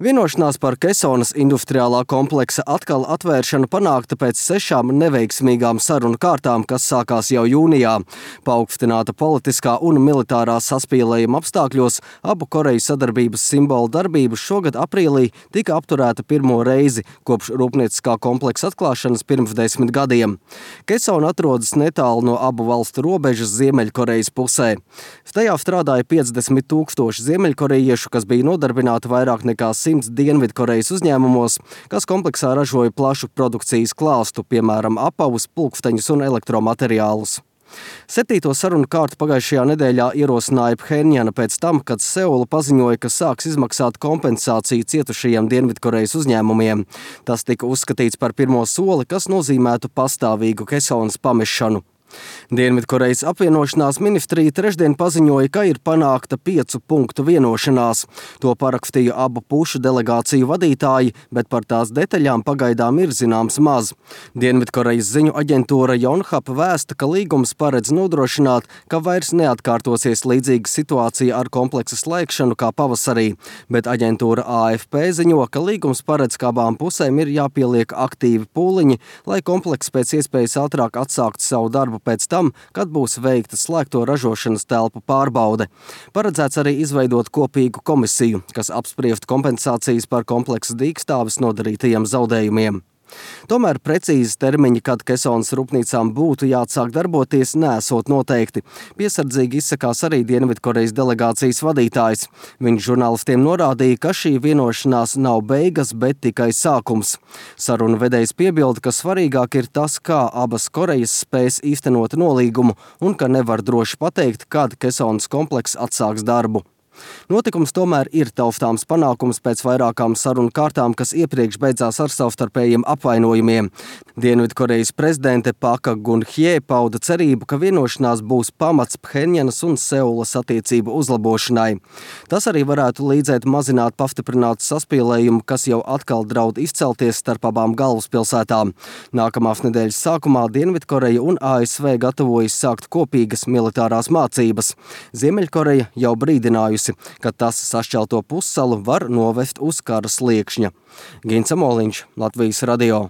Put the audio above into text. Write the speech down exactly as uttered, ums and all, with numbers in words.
Vienošanās par Kesonas industriālā kompleksa atkal atvēršanu panākta pēc sešām neveiksmīgām sarunu kārtām, kas sākās jau jūnijā. Paaugstināta politiskā un militārā saspīlējuma apstākļos abu Koreju sadarbības simbolu darbību šogad aprīlī tika apturēta pirmo reizi kopš rūpnieciskā kompleksa atklāšanas pirms desmit gadiem. Kesona atrodas netālu no abu valstu robežas Ziemeļkorejas pusē. Tajā strādāja piecdesmit tūkstoši ziemeļkorejiešu, kas bija nodarbināti vairāk nekā simts Dienvidkorejas uzņēmumos, kas kompleksā ražoja plašu produkcijas klāstu, piemēram, apavus, pulksteņus un elektromateriālus. Septīto sarunu kārtu pagājušajā nedēļā ierosināja Phenjana pēc tam, kad Seula paziņoja, ka sāks izmaksāt kompensāciju cietušajiem Dienvidkorejas uzņēmumiem. Tas tika uzskatīts par pirmo soli, kas nozīmētu pastāvīgu Kesonas pamešanu. Dienvidkorejas apvienošanās ministrija trešdien paziņoja, ka ir panākta piecu punktu vienošanās. To parakstīja abu pušu delegāciju vadītāji, bet par tās detaļām pagaidām ir zināms maz. Dienvidkorejas ziņu aģentūra Yonhap vēsta, ka līgums paredz nodrošināt, ka vairs neatkārtosies līdzīga situācija ar kompleksa slēgšanu kā pavasarī, bet aģentūra A F P ziņo, ka līgums paredz, ka abām pusēm ir jāpieliek aktīvi pūliņi, lai komplekss pēc iespējas ātrāk atsākt savu darbu pēc tam, kad būs veikta slēgto ražošanas telpu pārbaude. Paredzēts arī izveidot kopīgu komisiju, kas apspriest kompensācijas par kompleksa dīkstāves nodarītajiem zaudējumiem. Tomēr precīzi termiņi, kad Kesonas rūpnīcām būtu jāatsāk darboties, nesot noteikti. Piesardzīgi izsakās arī Dienvidkorejas delegācijas vadītājs. Viņš žurnālistiem norādīja, ka šī vienošanās nav beigas, bet tikai sākums. Sarunu vedējs piebilda, ka svarīgāk ir tas, kā abas Korejas spēs īstenot nolīgumu un ka nevar droši pateikt, kad Kesonas komplekss atsāks darbu. Notikums tomēr ir taustāms panākums pēc vairākām sarunu kārtām, kas iepriekš beidzās ar savstarpējiem apvainojumiem. Dienvidkorejas prezidente Paka Gun-hye pauda cerību, ka vienošanās būs pamats Phenjanas un Seulas attiecību uzlabošanai. Tas arī varētu līdzēt mazināt pastiprinātu saspīlējumu, kas jau atkal draud izcelties starp abām galvaspilsētām. Nākamās nedēļas sākumā Dienvidkoreja un A S V gatavojas sākt kopīgas militārās mācības. Ziemeļkoreja jau brīdinājusi, ka tas sašķelto pussalu var novest uz kara sliekšņa. Gins Amoliņš, Latvijas radio.